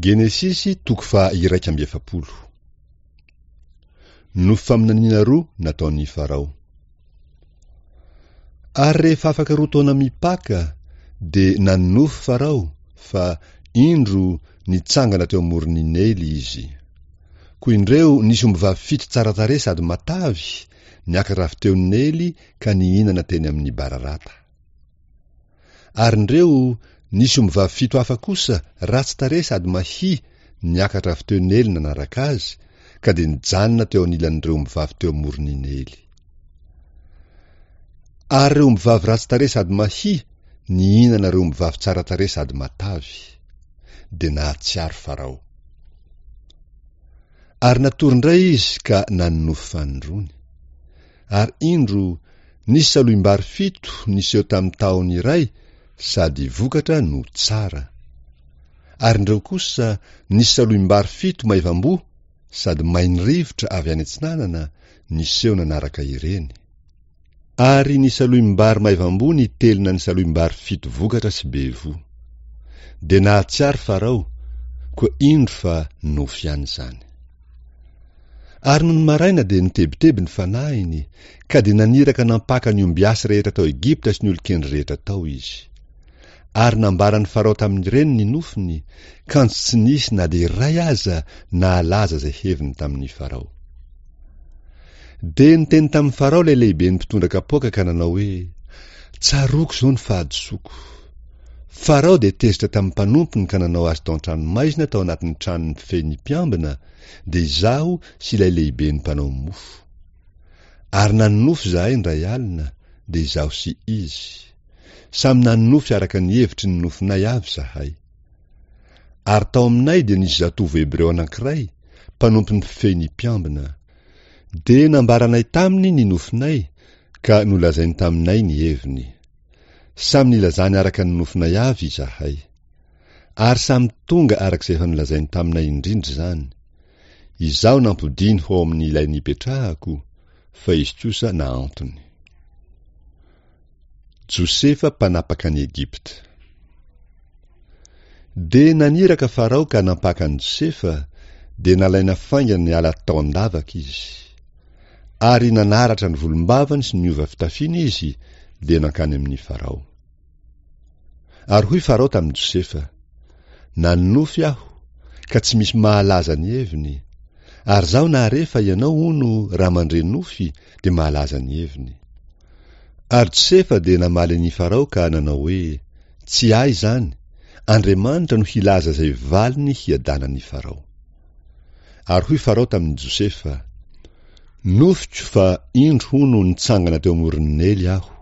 Genesisy toko faha-41. Nofy faminaniana roa nataon'i Farao. Ary rehefa afaka roa taona mipaka, dia nanonofy Farao fa, indro, nitsangana teo amoron'i Neily izy. Koa indreo nisy ombivavy fito tsara tarehy sady matavy niakatra avy teo Neily ka nihinana teny amin'ny bararata. Ary indreo nisy ombivavy fito hafa kosa ratsy tarehy sady mahia niakatra avy teo Neily nanaraka azy, ka dia nijanona teo anilan'ireo ombivavy teo amoron'i Neily. Ary ireo ombivavy ratsy tarehy sady mahia nihinana ireo ombivavy tsara tarehy sady matavy. Dia nahatsiaro Farao. Ary natory indray izy ka nanonofy fanindroany. Ary indro, nisy salohim-bary fito niseho tamin'ny tahony iray sady vokatra no tsara. Ary indreo kosa nisy salohim-bary fito maivam-boa sady main'ny rivotra avy any atsinanana niseho nanaraka ireny. Ary ny salohim-bary maivam-boa nitelina ny salohim-bary fito vokatra sy be voa. Dia nahatsiaro Farao, koa indro fa nofy ihany izany. Ary nony maraina dia nitebiteby ny fanahiny, ka dia naniraka nampaka ny ombiasy rehetra tao Egypta sy ny olon-kendry rehetra tao izy. Ary nambaran'i Farao tamin'ireny ny nofiny, kanjo tsy nisy na dia iray aza nahalaza izay heviny tamin'i Farao. Dia niteny tamin'i Farao ilay lehiben'ny mpitondra kapoaka ka nanao hoe, Tsaroako izao ny fahadisoako. Farao dia tezitra tamin'ny mpanompony ka nanao azy tao an-tranomaizina tao anatin'ny tranon'ny mpifehy ny mpiambina, dia izaho sy ilay lehiben'ny mpanao mofo. Ary nanonofy izahay indray alina, dia izaho sy izy. Samy nanonofy araka ny hevitry ny nofinay avy izahay. Ary tao aminay dia nisy zatovo hebreo anankiray, mpanompon'ny mpifehy ny mpiambina. Dia nambaranay taminy ny nofinay, ka nolazainy taminay ny heviny. Samy nilazany araka ny nofinay avy izahay. Ary samy tonga araka izay efa nolazainy taminay indrindra izany. Izaho nampodiany ho ao amin'ilay nipetrahako, fa izy kosa nahantony. Josefa mpanapaka an'i Egypta. Dia naniraka Farao ka nampaka an'i Josefa, dia nalaina faingana niala tao an-davaka izy. Ary nanaratra ny volombavany sy niova fitafiana izy, dia nankany amin'i Farao. Ary hoy Farao tamin'i Josefa, Nanonofy aho, ka tsy misy mahalaza ny heviny, ary izaho nahare fa ianao, hono, raha mandre nofy, dia mahalaza ny heviny. Ary Josefa dia namaly an' i Farao ka nanao hoe, Tsy ahy izany, Andriamanitra no hilaza izay valiny hiadanan' i Farao. Ary hoy Farao tamin' i Josefa, Nofiko fa indro hono nitsangana teo amoron' ny Neily aho.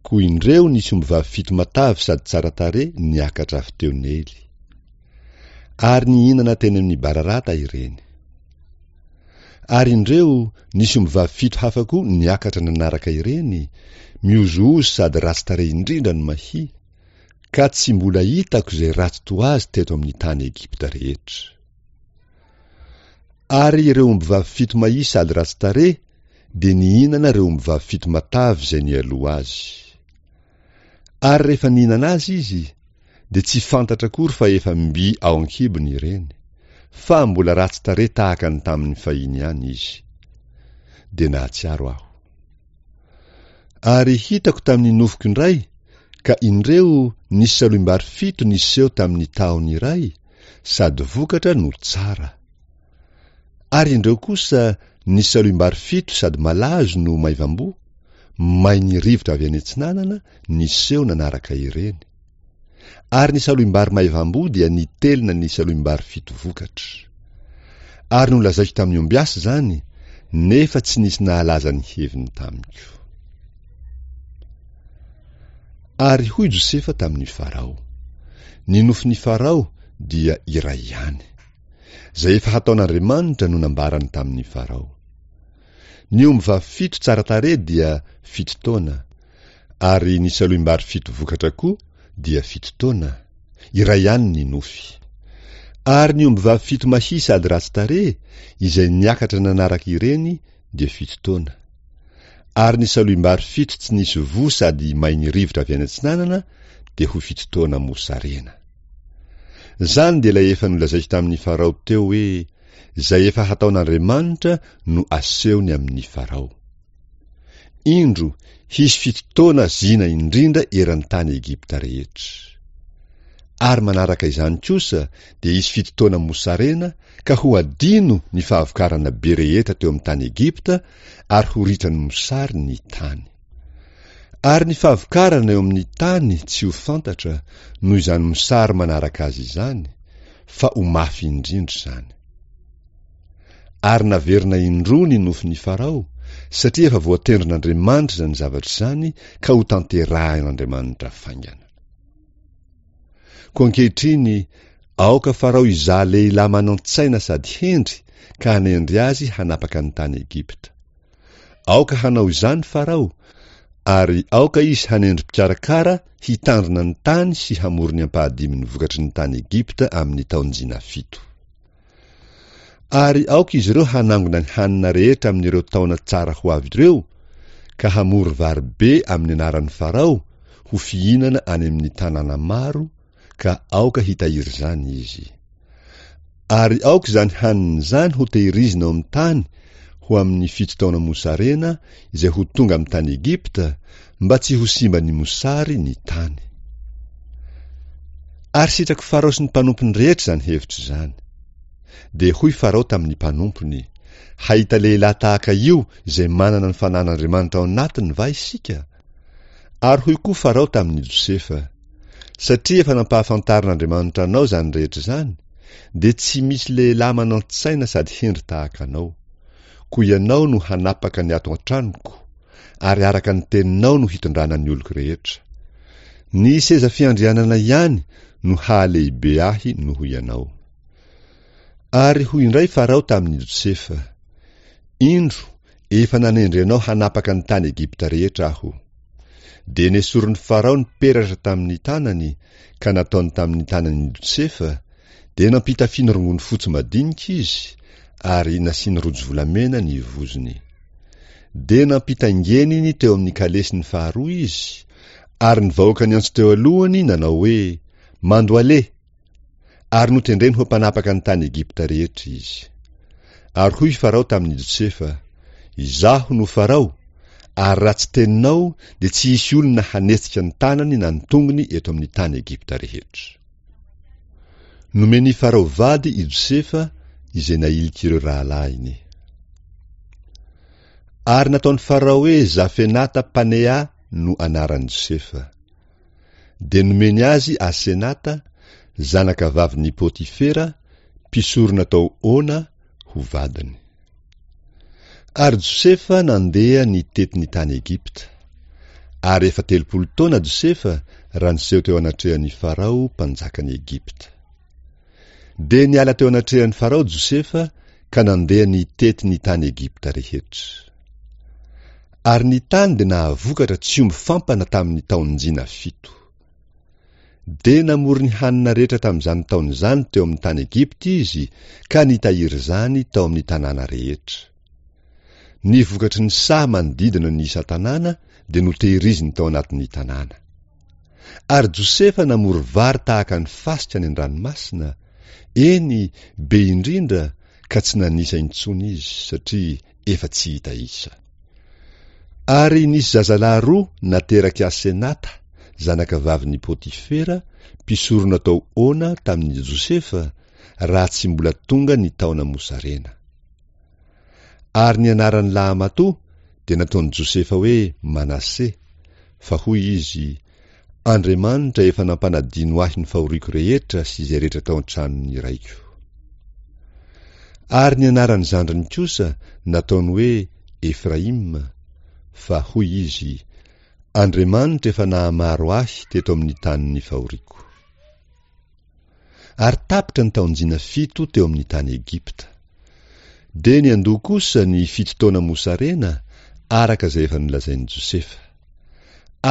Koa indreo nisy ombivavy fito matavy sady tsara tarehy niakatra avy teo Neily. Ary nihinana teny amin' ny bararata ireny. Ary indreo, nisy ombivavy fito hafa koa niakatra nanaraka ireny, mihozohozo sady ratsy tarehy indrindra ny mahia, ka tsy mbola hitako izay ratsy toa azy teto amin'ny tany Egypta rehetra. Ary ireo ombivavy fito mahia sady ratsy tarehy dia nihinana ireo ombivavy fito matavy izay nialoha azy. Ary rehefa nihinana azy izy, dia tsy fantatra akory fa efa mby ao an-kibony ireny, fa mbola ratsy tarehy tahaka ny tamin'ny fahiny ihany izy. Dia nahatsiaro aho. Ary hitako tamin'ny nofiko indray, ka indreo nisy salohim-bary fito niseho tamin'ny tahony iray, sady vokatra no tsara. Ary indreo kosa nisy salohim-bary fito sady malazo no maivam-boa, main'ny rivotra avy any atsinanana niseho nanaraka ireny. Ary ny salohim-bary maivam-boa dia nitelina ny salohim-bary fito vokatra. Ary nolazaiko tamin'ny ombiasy izany, nefa tsy nisy nahalaza ny heviny tamiko. Ary hoy Josefa tamin'i Farao, Ny nofin'i Farao dia iray ihany. Izay efa hataon'Andriamanitra no nambarany tamin'i Farao. Ny ombivavy fito tsara tarehy dia fito taona, ary ny salohim-bary fito vokatra koa dia fito taona, iray ihany ny nofy. Ary ny ombivavy fito mahia sady ratsy tarehy, izay niakatra nanaraka ireny, dia fito taona. Ary ny salohim-bary fito tsy nisy voa sady main'ny rivotra avy any atsinanana dia ho fito taona mosarena. Izany dia ilay efa nolazaiko tamin'i Farao teo hoe, Izay efa hataon'Andriamanitra no asehony amin'i Farao. Indro, hisy fitotoana zina indrindra eran'ny tany Egypta rehetra. Ary manaraka izany kosa dia hisy fitotoana mosarena ka ho adino ny fahavokarana be rehetra teo amin'ny tany Egypta ary ho ritran'ny mosary ny tany. Ary ny fahavokarana eo amin'ny tany tsy ho fantatra noho izany mosary manaraka azy izany, fa ho mafy indrindra izany. Ary naverina indroa ny nofin'i Farao, satria efa voatendrin'Andriamanitra izany zavatra izany ka hotanterahin'Andriamanitra faingana. Koa ankehitriny, aoka Farao hizaha lehilahy manan-tsaina sady hendry ka hanendry azy hanapaka ny tany Egypta. Aoka hanao izany Farao, ary aoka izy hanendry mpikarakara hitandrina ny tany sy hamory ny ampahadimin'ny vokatry ny tany Egypta amin'ny taon-jina fito. Ary aoka izy ireo hanangona ny hanina rehetra amin'ireo taona tsara ho avy ireo, ka hamory vary be amin'ny anaran'i Farao ho fihinana any amin'ny tanàna maro, ka aoka hitahiry izany izy. Ary aoka izany hanina izany hotehirizina ao amin'ny tany ho amin'ny fito taona mosarena izay ho tonga amin'ny tany Egypta, mba tsy ho simban'ny mosary ny tany. Ary sitrak'i Farao sy ny mpanompony rehetra izany hevitra izany. Dia hoy Farao tamin'ny mpanompony, Hahita lehilahy tahaka io izay manana ny fanan'Andriamanitra ao anatiny va isika? Ary hoy koa Farao tamin'i Josefa, Satria efa nampahafantarin'Andriamanitra anao izany rehetra izany, dia tsy misy lehilahy manan-tsaina sady hendry tahaka anao. Koa ianao no hanapaka ny ato an-tranoko, ary araka ny teninao no hitondrana ny oloko rehetra. Ny seza fiandrianana ihany no hahalehibe ahy noho ianao. Ary hoy indray Farao tamin'i Josefa, Indro, efa nanendry anao hanapaka ny tany Egypta rehetra aho. Dia nesorin'i Farao ny peratra tamin'ny tanany ka nataony tamin'ny tanan'i Josefa, dia nampitafiany rongony fotsy madinika izy ary nasiany rojo volamena ny vozony. Dia nampitaingeniny teo amin'ny kalesiny faharoa izy, ary ny vahoaka niantso teo alohany nanao hoe, Mandohaleha! Ary notendreny ho mpanapaka ny tany Egypta rehetra izy. Ary hoy Farao tamin'i Josefa, Izaho no Farao, ary raha tsy teninao dia tsy hisy olona hanetsika ny tanany na ny tongony eto amin'ny tany Egypta rehetra. Nomen'i Farao vady i Josefa izay nahilik'ireo rahalahiny. Ary nataon'i Farao hoe Zafenata Panea no anaran'i Josefa. Dia nomeny azy Asenata, zanakavavin'i Potifera, mpisorona tao Ona, ho vadiny. Ary Josefa nandeha nitety ny tany Egypta. Ary efa 30 taona Josefa raha niseho teo anatrehan'i Farao mpanjakan'i Egypta. Dia niala teo anatrehan'i Farao Josefa ka nandeha nitety ny tany Egypta rehetra. Ary ny tany dia nahavokatra tsy omby fampana tamin'ny taon-jina fito. Dia namory ny hanina rehetra tamin'izany taona izany teo amin'ny tany Egypta izy ka nitahiry izany tao amin'ny tanàna rehetra. Ny vokatry ny saha manodidina ny isan-tanàna dia notehiriziny tao anatin'ny tanàna. Ary Josefa namory vary tahaka ny fasika any an-dranomasina, eny, be indrindra, ka tsy nanisa intsony izy, satria efa tsy hita isa. Ary nisy zazalahy roa naterak'i Asenata, zanakavavin'i Potifera, mpisorona tao Ona, tamin'i Josefa, raha tsy mbola tonga ny taona mosarena. Ary ny anaran'ny lahamatoa dia nataon'i Josefa hoe Manase, fa hoy izy, Andriamanitra efa nampanadino ahy ny fahoriako rehetra sy izay rehetra tao an-tranon'ny raiko. Ary ny anaran'ny zandriny kosa nataony hoe Efraima, fa hoy izy, Andriamanitra efa nahamaro ahy teto amin'ny tanin'ny fahoriako. Ary tapitra ny taon-jina fito teo amin'ny tany Egypta. Dia niandoha kosa ny fito taona mosarena, araka izay efa nolazain'i Josefa.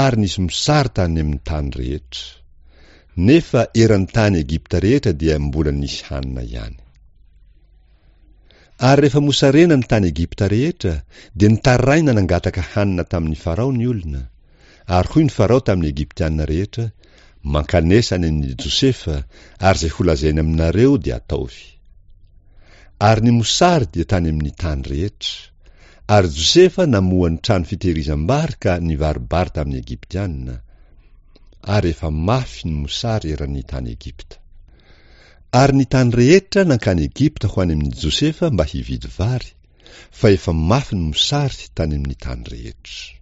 Ary nisy mosary tany amin'ny tany rehetra. Nefa eran'ny tany Egypta rehetra dia mbola nisy hanina ihany. Ary rehefa mosarena ny tany Egypta rehetra, dia nitaraina nangataka hanina tamin'i Farao ny olona. Ary hoy ny Farao tamin'ny Egyptiana rehetra, Mankanesa any amin'i Josefa, ary izay holazainy aminareo dia ataovy. Ary ny mosary dia tany amin'ny tany rehetra. Ary Josefa namoha ny trano fitehirizam-bary ka nivaro-bary tamin'ny Egyptiana. Ary efa mafy ny mosary eran'ny tany Egypta. Ary ny tany rehetra nankany Egypta ho any amin'i Josefa mba hividy vary, fa efa mafy ny mosary tany amin'ny tany rehetra.